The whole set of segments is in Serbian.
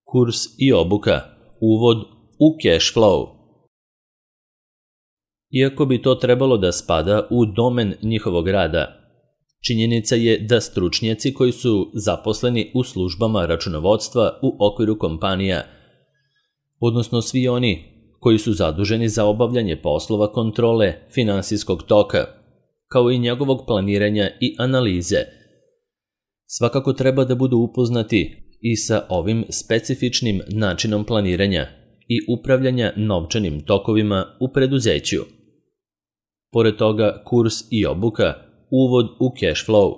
Kurs i obuka, uvod u cash flow. Iako bi to trebalo da spada u domen njihovog rada, činjenica je da stručnjaci koji su zaposleni u službama računovodstva u okviru kompanija, odnosno svi oni koji su zaduženi za obavljanje poslova kontrole finansijskog toka, kao i njegovog planiranja i analize, svakako treba da budu upoznati i sa ovim specifičnim načinom planiranja i upravljanja novčanim tokovima u preduzeću. Pored toga, kurs i obuka, uvod u cash flow,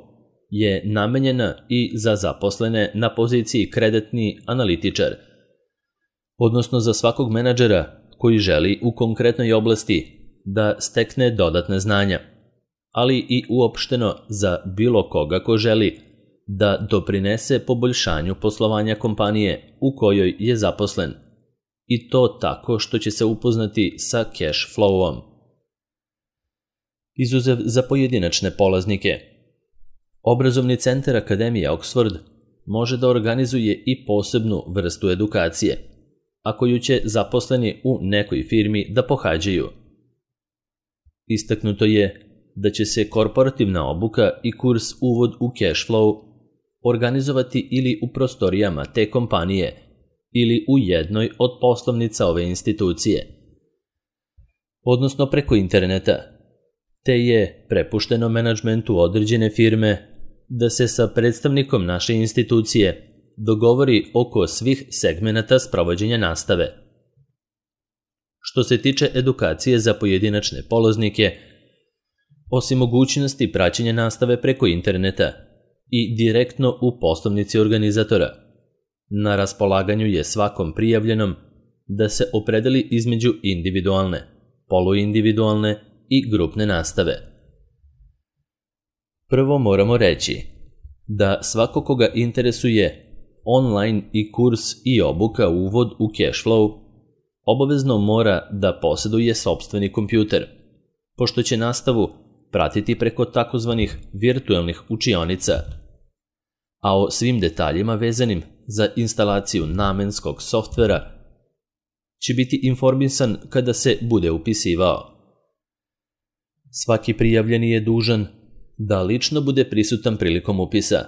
je namenjena i za zaposlene na poziciji kreditni analitičar, odnosno za svakog menadžera koji želi u konkretnoj oblasti da stekne dodatne znanja, ali i uopšteno za bilo koga ko želi da doprinese poboljšanju poslovanja kompanije u kojoj je zaposlen, i to tako što će se upoznati sa cash flowom. Izuzev za pojedinačne polaznike, Obrazovni centar Akademije Oxford može da organizuje i posebnu vrstu edukacije, a koju će zaposleni u nekoj firmi da pohađaju. Istaknuto je da će se korporativna obuka i kurs uvod u cash flow organizovati ili u prostorijama te kompanije ili u jednoj od poslovnica ove institucije, odnosno preko interneta, te je prepušteno menadžmentu određene firme da se sa predstavnikom naše institucije dogovori oko svih segmenata sprovođenja nastave. Što se tiče edukacije za pojedinačne polaznike, osim mogućnosti praćenja nastave preko interneta i direktno u poslovnici organizatora, na raspolaganju je svakom prijavljenom da se opredeli između individualne, poluindividualne i grupne nastave. Prvo moramo reći da svako koga interesuje online i kurs i obuka uvod u cash flow obavezno mora da posjeduje sopstveni kompjuter, pošto će nastavu pratiti preko takozvanih virtualnih učionica, a o svim detaljima vezanim za instalaciju namenskog softvera će biti informisan kada se bude upisivao. Svaki prijavljeni je dužan da lično bude prisutan prilikom upisa,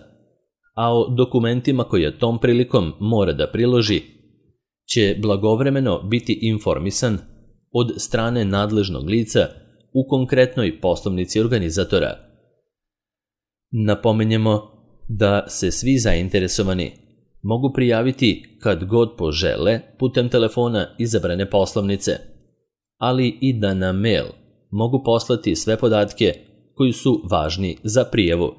a o dokumentima koje tom prilikom mora da priloži će blagovremeno biti informisan od strane nadležnog lica u konkretnoj poslovnici organizatora. Napomenjemo da se svi zainteresovani mogu prijaviti kad god požele putem telefona izabrane poslovnice, ali i da na mail mogu poslati sve podatke koji su važni za prijavu,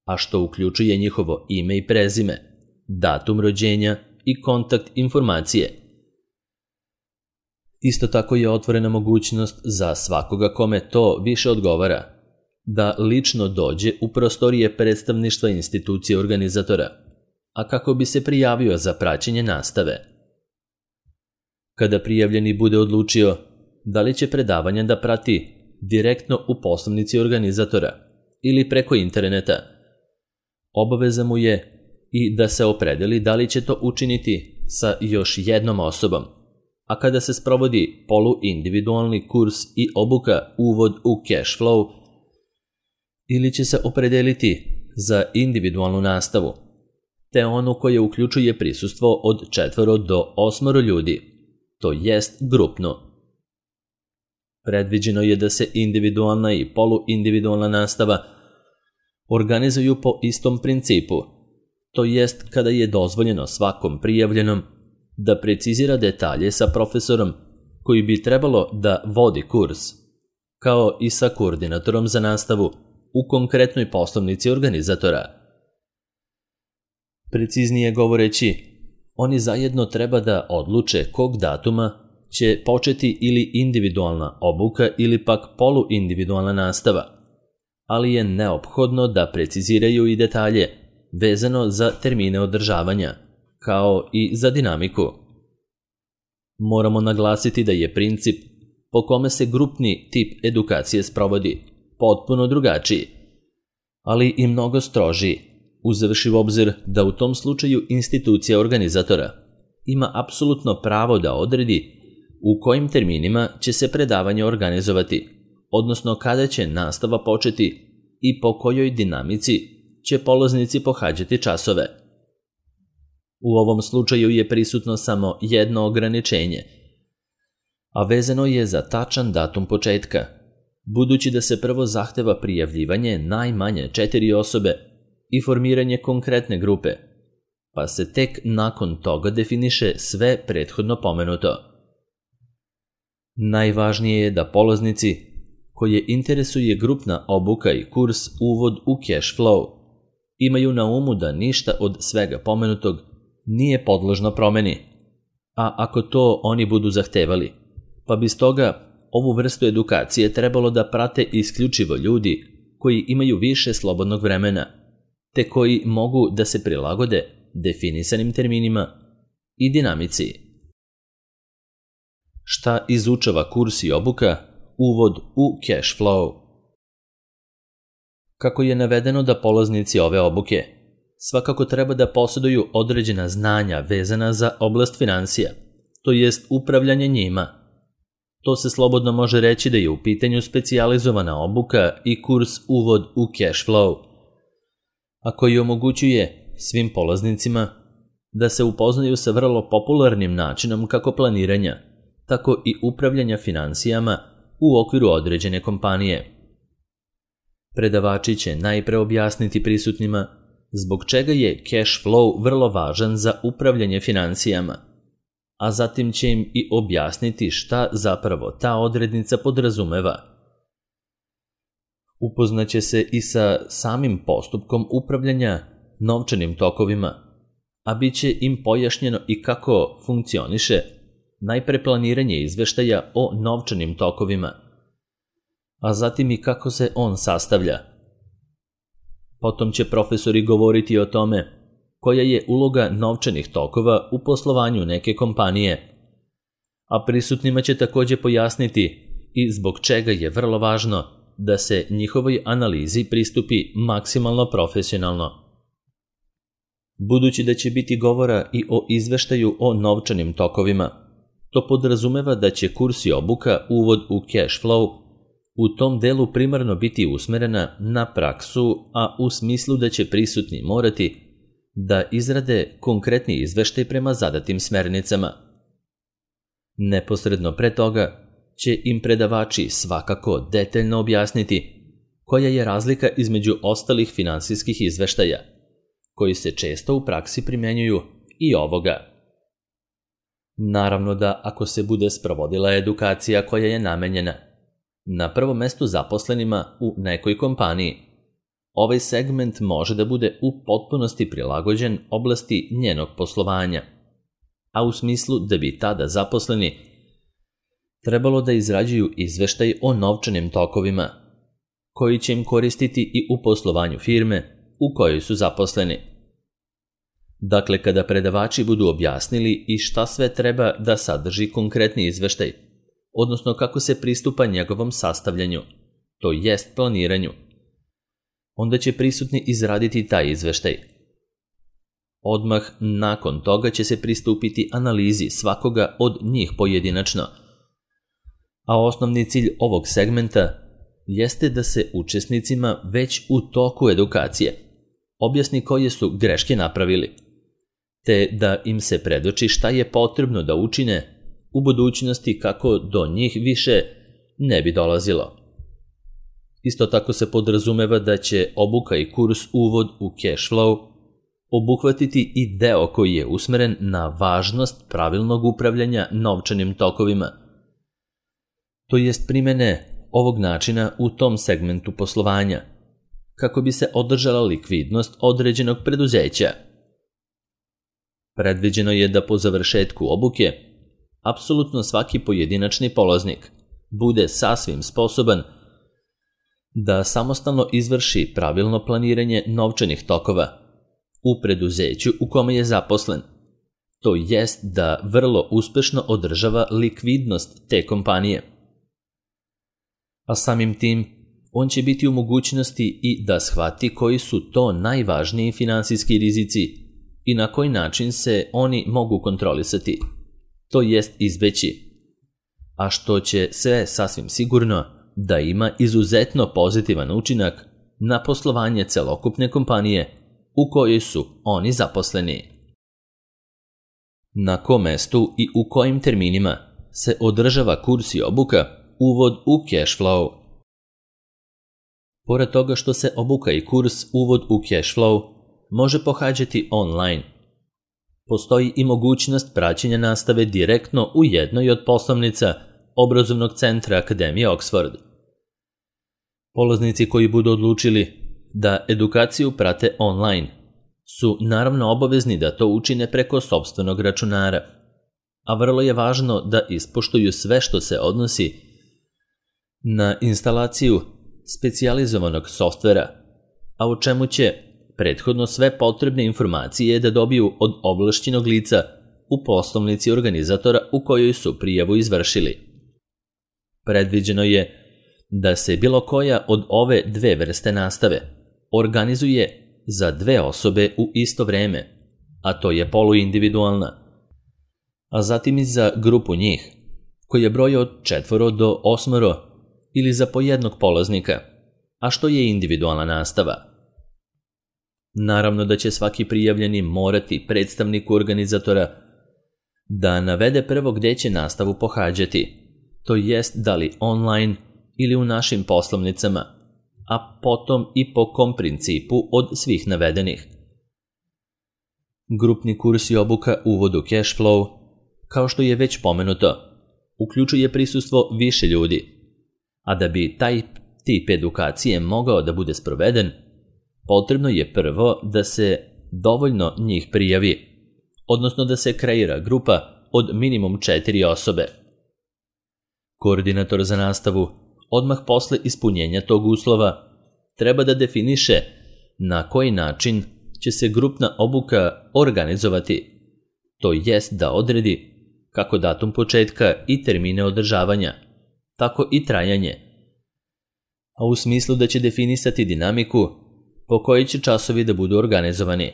a što uključuje njihovo ime i prezime, datum rođenja i kontakt informacije. Isto tako je otvorena mogućnost za svakoga kome to više odgovara da lično dođe u prostorije predstavništva institucije organizatora, a kako bi se prijavio za praćenje nastave. Kada prijavljeni bude odlučio da li će predavanja da prati direktno u poslovnici organizatora ili preko interneta, obaveza mu je i da se opredeli da li će to učiniti sa još jednom osobom, a kada se sprovodi poluindividualni kurs i obuka uvod u cash flow, ili će se opredeliti za individualnu nastavu, te onu koja uključuje prisustvo od 4 do 8 ljudi, to jest grupnu. Predviđeno je da se individualna i poluindividualna nastava organizuju po istom principu, to jest kada je dozvoljeno svakom prijavljenom da precizira detalje sa profesorom koji bi trebalo da vodi kurs, kao i sa koordinatorom za nastavu u konkretnoj poslovnici organizatora. Preciznije govoreći, oni zajedno treba da odluče kog datuma će početi ili individualna obuka ili pak poluindividualna nastava, ali je neophodno da preciziraju i detalje vezano za termine održavanja, kao i za dinamiku. Moramo naglasiti da je princip po kome se grupni tip edukacije sprovodi potpuno drugačiji, ali i mnogo strožiji, uzevši u obzir da u tom slučaju institucija organizatora ima apsolutno pravo da odredi u kojim terminima će se predavanje organizovati, odnosno kada će nastava početi i po kojoj dinamici će polaznici pohađati časove. U ovom slučaju je prisutno samo jedno ograničenje, a vezano je za tačan datum početka, budući da se prvo zahteva prijavljivanje najmanje 4 osobe i formiranje konkretne grupe, pa se tek nakon toga definiše sve prethodno pomenuto. Najvažnije je da polaznici koje interesuje grupna obuka i kurs Uvod u cash flow imaju na umu da ništa od svega pomenutog nije podložno promeni, a ako to oni budu zahtevali, pa bi stoga ovu vrstu edukacije trebalo da prate isključivo ljudi koji imaju više slobodnog vremena, te koji mogu da se prilagode definisanim terminima i dinamici. Šta izučava kurs i obuka Uvod u cash flow? Kako je navedeno da polaznici ove obuke svakako treba da posjeduju određena znanja vezana za oblast financija, to jest upravljanje njima. To se slobodno može reći da je u pitanju specijalizovana obuka i kurs Uvod u cash flow, a koji omogućuje svim polaznicima da se upoznaju sa vrlo popularnim načinom kako planiranja, tako i upravljanja financijama u okviru određene kompanije. Predavači će najpre objasniti prisutnima zbog čega je cash flow vrlo važan za upravljanje financijama, a zatim će im i objasniti šta zapravo ta odrednica podrazumeva. Upoznaće se i sa samim postupkom upravljanja novčanim tokovima, a bit će im pojašnjeno i kako funkcioniše najpre planiranje izveštaja o novčanim tokovima, a zatim i kako se on sastavlja. Potom će profesori govoriti o tome koja je uloga novčanih tokova u poslovanju neke kompanije, a prisutnima će također pojasniti i zbog čega je vrlo važno da se njihovoj analizi pristupi maksimalno profesionalno. Budući da će biti govora i o izveštaju o novčanim tokovima, to podrazumeva da će kurs i obuka Uvod u cash flow u tom delu primarno biti usmerena na praksu, a u smislu da će prisutni morati da izrade konkretni izveštaj prema zadatim smernicama. Neposredno pre toga će im predavači svakako detaljno objasniti koja je razlika između ostalih finansijskih izveštaja, koji se često u praksi primjenjuju i ovoga. Naravno da ako se bude sprovodila edukacija koja je namenjena na prvom mestu zaposlenima u nekoj kompaniji, ovaj segment može da bude u potpunosti prilagođen oblasti njenog poslovanja, a u smislu da bi tada zaposleni trebalo da izrađuju izveštaj o novčanim tokovima, koji će im koristiti i u poslovanju firme u kojoj su zaposleni. Dakle, kada predavači budu objasnili i šta sve treba da sadrži konkretni izveštaj, odnosno kako se pristupa njegovom sastavljanju, to jest planiranju, onda će prisutni izraditi taj izveštaj. Odmah nakon toga će se pristupiti analizi svakoga od njih pojedinačno, a osnovni cilj ovog segmenta jeste da se učesnicima već u toku edukacije objasni koje su greške napravili, te da im se predoči šta je potrebno da učine u budućnosti kako do njih više ne bi dolazilo. Isto tako se podrazumeva da će obuka i kurs Uvod u cash flow obuhvatiti i deo koji je usmeren na važnost pravilnog upravljanja novčanim tokovima, to jest primene ovog načina u tom segmentu poslovanja, kako bi se održala likvidnost određenog preduzeća. Predviđeno je da po završetku obuke apsolutno svaki pojedinačni polaznik bude sasvim sposoban da samostalno izvrši pravilno planiranje novčanih tokova u preduzeću u kome je zaposlen, to jest da vrlo uspešno održava likvidnost te kompanije. A samim tim, on će biti u mogućnosti i da shvati koji su to najvažniji finansijski rizici i na koji način se oni mogu kontrolisati, to jest izbeći, a što će sve sasvim sigurno da ima izuzetno pozitivan učinak na poslovanje celokupne kompanije u kojoj su oni zaposleni. Na kom mestu i u kojim terminima se održava kurs i obuka Uvod u cash flow. Pored toga što se obuka i kurs Uvod u cash flow može pohađati online, postoji i mogućnost praćenja nastave direktno u jednoj od poslovnica obrazovnog centra Akademije Oxford. Polaznici koji budu odlučili da edukaciju prate online su naravno obavezni da to učine preko sopstvenog računara, a vrlo je važno da ispoštuju sve što se odnosi na instalaciju specijalizovanog softvera, a u čemu će prethodno sve potrebne informacije da dobiju od ovlašćenog lica u poslovnici organizatora u kojoj su prijavu izvršili. Predviđeno je da se bilo koja od ove dve vrste nastave organizuje za 2 osobe u isto vreme, a to je poluindividualna, a zatim i za grupu njih, koja broji od 4 do 8 ili za po jednog polaznika, a što je individualna nastava. Naravno da će svaki prijavljeni morati predstavniku organizatora da navede prvo gde će nastavu pohađati, to jest da li online ili u našim poslovnicama, a potom i po kom principu od svih navedenih. Grupni kurs i obuka Uvod u cash flow, kao što je već pomenuto, uključuje prisustvo više ljudi, a da bi taj tip edukacije mogao da bude sproveden, potrebno je prvo da se dovoljno njih prijavi, odnosno da se kreira grupa od minimum 4 osobe. Koordinator za nastavu odmah posle ispunjenja tog uslova treba da definiše na koji način će se grupna obuka organizovati, to jest da odredi kako datum početka i termine održavanja, tako i trajanje, a u smislu da će definisati dinamiku po kojoj će časovi da budu organizovani.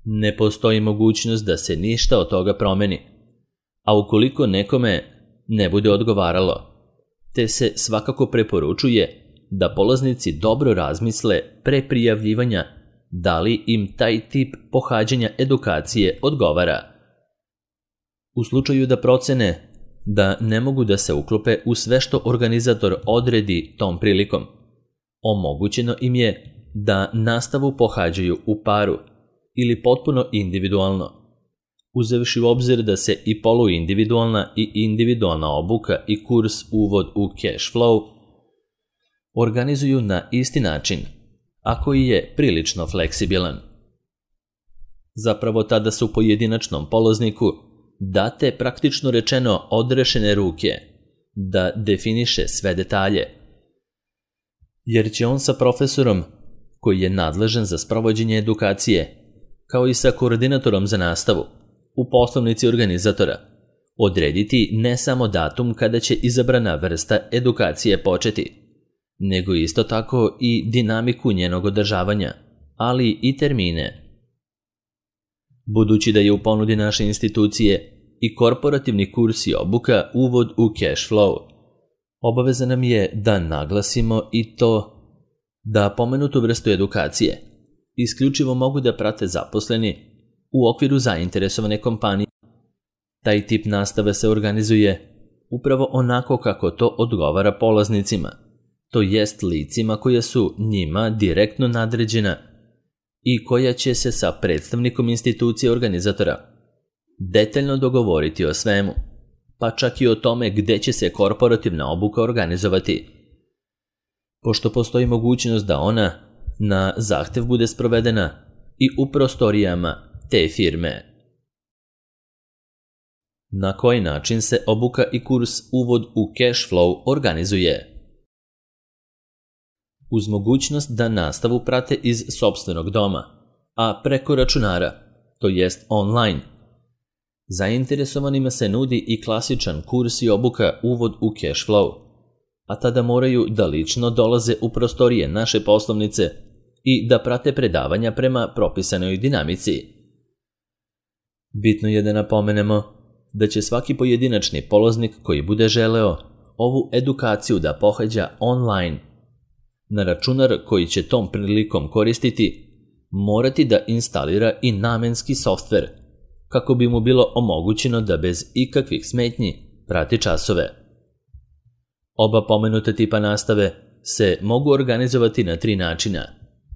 Ne postoji mogućnost da se ništa od toga promeni, a ukoliko nekome ne bude odgovaralo, te se svakako preporučuje da polaznici dobro razmisle pre prijavljivanja da li im taj tip pohađanja edukacije odgovara. U slučaju da procene da ne mogu da se uklope u sve što organizator odredi tom prilikom, omogućeno im je da nastavu pohađaju u paru ili potpuno individualno, uzevši u obzir da se i poluindividualna i individualna obuka i kurs Uvod u cash flow organizuju na isti način, a koji je prilično fleksibilan. Zapravo tada su pojedinačnom polazniku date praktično rečeno odrešene ruke da definiše sve detalje, jer će on sa profesorom koji je nadležan za sprovođenje edukacije, kao i sa koordinatorom za nastavu, u poslovnici organizatora, odrediti ne samo datum kada će izabrana vrsta edukacije početi, nego isto tako i dinamiku njenog održavanja, ali i termine. Budući da je u ponudi naše institucije i korporativni kurs i obuka Uvod u cash flow, obaveza nam je da naglasimo i to da pomenutu vrstu edukacije isključivo mogu da prate zaposleni u okviru zainteresovane kompanije. Taj tip nastave se organizuje upravo onako kako to odgovara polaznicima, to jest licima koja su njima direktno nadređena i koja će se sa predstavnikom institucije organizatora detaljno dogovoriti o svemu, pa čak i o tome gde će se korporativna obuka organizovati, pošto postoji mogućnost da ona na zahtev bude sprovedena i u prostorijama te firme. Na koji način se obuka i kurs Uvod u cash flow organizuje? Uz mogućnost da nastavu prate iz sopstvenog doma, a preko računara, to jest online, zainteresovanima se nudi i klasičan kurs i obuka Uvod u cash flow, a tada moraju da lično dolaze u prostorije naše poslovnice i da prate predavanja prema propisanoj dinamici. Bitno je da napomenemo da će svaki pojedinačni polaznik koji bude želeo ovu edukaciju da pohađa online na računar koji će tom prilikom koristiti morati da instalira i namenski softver kako bi mu bilo omogućeno da bez ikakvih smetnji prati časove. Oba pomenuta tipa nastave se mogu organizovati na 3 načina,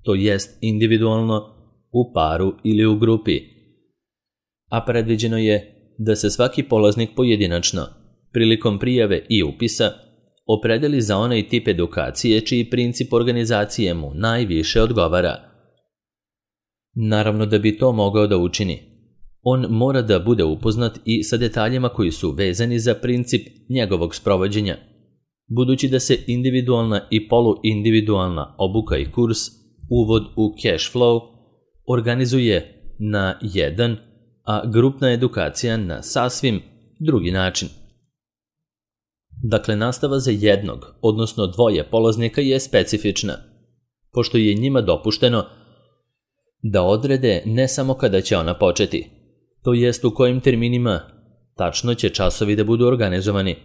to jest individualno, u paru ili u grupi, a predviđeno je da se svaki polaznik pojedinačno, prilikom prijave i upisa, opredeli za onaj tip edukacije čiji princip organizacije mu najviše odgovara. Naravno, da bi to mogao da učini, on mora da bude upoznat i sa detaljima koji su vezani za princip njegovog sprovođenja, budući da se individualna i poluindividualna obuka i kurs Uvod u cash flow organizuje na jedan, a grupna edukacija na sasvim drugi način. Dakle, nastava za jednog, odnosno 2 polaznika je specifična, pošto je njima dopušteno da odrede ne samo kada će ona početi, to jest u kojim terminima tačno će časovi da budu organizovani,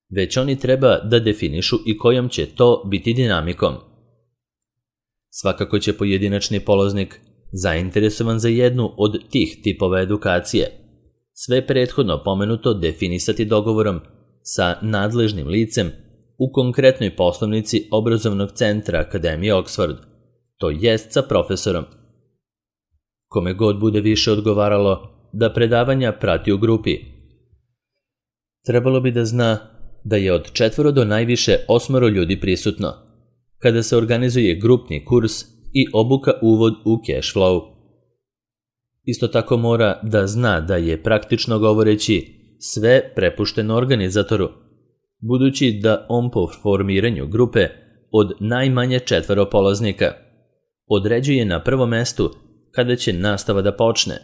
već oni treba da definišu i kojom će to biti dinamikom. Svakako će pojedinačni polaznik, zainteresovan za jednu od tih tipova edukacije, sve prethodno pomenuto definisati dogovorom sa nadležnim licem u konkretnoj poslovnici obrazovnog centra Akademije Oxford, to jest sa profesorom. Kome god bude više odgovaralo da predavanja prati u grupi, trebalo bi da zna da je od 4 do najviše 8 ljudi prisutno, kada se organizuje grupni kurs i obuka uvod u cash flow. Isto tako mora da zna da je praktično govoreći sve prepušteno organizatoru, budući da on po formiranju grupe od najmanje 4 polaznika određuje na prvom mestu kada će nastava da počne,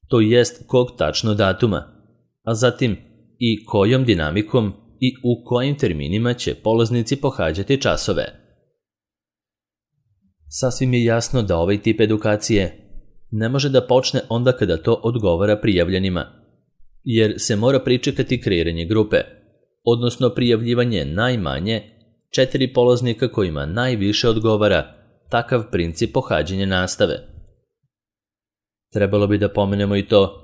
to jest kog tačno datuma, a zatim i kojom dinamikom i u kojim terminima će polaznici pohađati časove. Sasvim je jasno da ovaj tip edukacije ne može da počne onda kada to odgovara prijavljenima, jer se mora pričekati kreiranje grupe, odnosno prijavljivanje najmanje 4 polaznika kojima najviše odgovara takav princip pohađanja nastave. Trebalo bi da pomenemo i to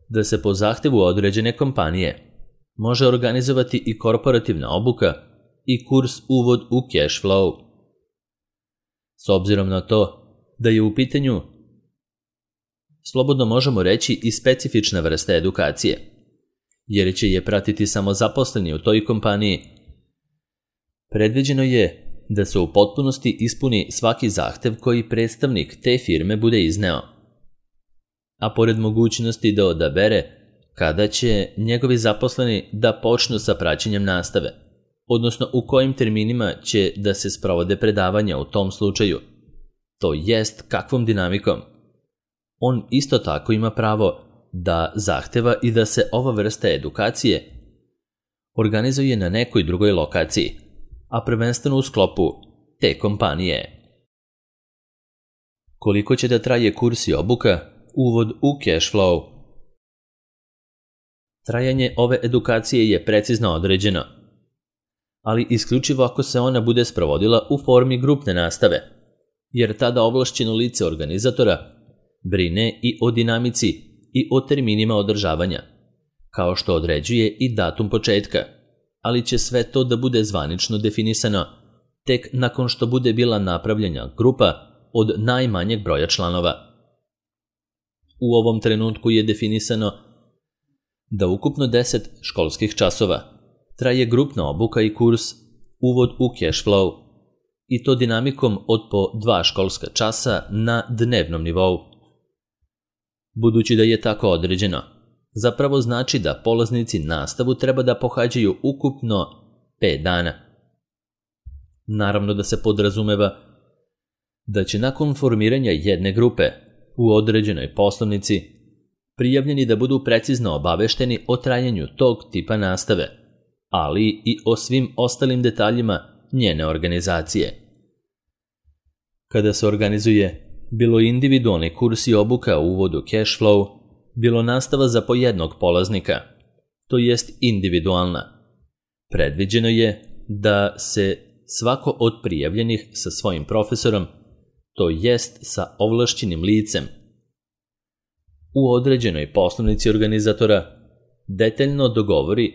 da se po zahtevu određene kompanije može organizovati i korporativna obuka i kurs Uvod u cash flow. S obzirom na to da je u pitanju, slobodno možemo reći, i specifična vrsta edukacije, jer će je pratiti samo zaposleni u toj kompaniji, predviđeno je da se u potpunosti ispuni svaki zahtev koji predstavnik te firme bude izneo, a pored mogućnosti da odabere kada će njegovi zaposleni da počnu sa praćenjem nastave, odnosno u kojim terminima će da se sprovode predavanja u tom slučaju, to jest kakvom dinamikom. On isto tako ima pravo da zahteva i da se ova vrsta edukacije organizuje na nekoj drugoj lokaciji, a prvenstveno u sklopu te kompanije. Koliko će da traje kurs i obuka Uvod u cash flow? Trajanje ove edukacije je precizno određeno, ali isključivo ako se ona bude sprovodila u formi grupne nastave, jer tada ovlašćeno lice organizatora brine i o dinamici i o terminima održavanja, kao što određuje i datum početka, ali će sve to da bude zvanično definisano tek nakon što bude bila napravljena grupa od najmanjeg broja članova. U ovom trenutku je definisano da ukupno 10 školskih časova traje grupna obuka i kurs Uvod u cash flow, i to dinamikom od po 2 školska časa na dnevnom nivou. Budući da je tako određeno, zapravo znači da polaznici nastavu treba da pohađaju ukupno 5 dana. Naravno da se podrazumeva da će nakon formiranja jedne grupe u određenoj poslovnici prijavljeni da budu precizno obavešteni o trajanju tog tipa nastave, ali i o svim ostalim detaljima njene organizacije. Kada se organizuje bilo individualni kurs i obuka u uvodu cash flow, bilo nastava za po jednog polaznika, to jest individualna. Predviđeno je da se svako od prijavljenih sa svojim profesorom, to jest sa ovlašćenim licem, u određenoj poslovnici organizatora detaljno dogovori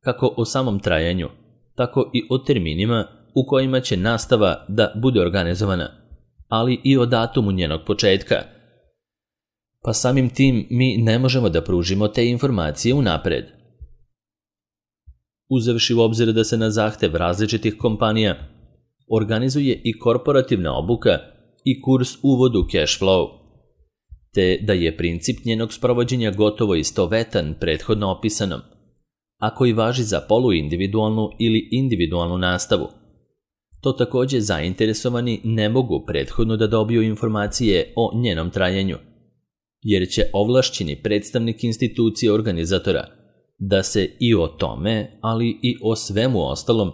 kako o samom trajanju, tako i o terminima u kojima će nastava da bude organizovana, ali i o datumu njenog početka. Pa samim tim mi ne možemo da pružimo te informacije unapred. Uzevši u obzir da se na zahtev različitih kompanija organizuje i korporativna obuka i kurs uvod u cash flow, te da je princip njenog sprovođenja gotovo istovetan prethodno opisanom, a koji važi za poluindividualnu ili individualnu nastavu. To također zainteresovani ne mogu prethodno da dobiju informacije o njenom trajanju, jer će ovlašćeni predstavnik institucije organizatora da se i o tome, ali i o svemu ostalom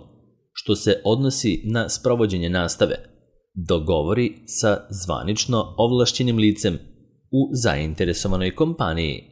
što se odnosi na sprovođenje nastave, dogovori sa zvanično ovlašćenim licem u zainteresovanoj kompaniji.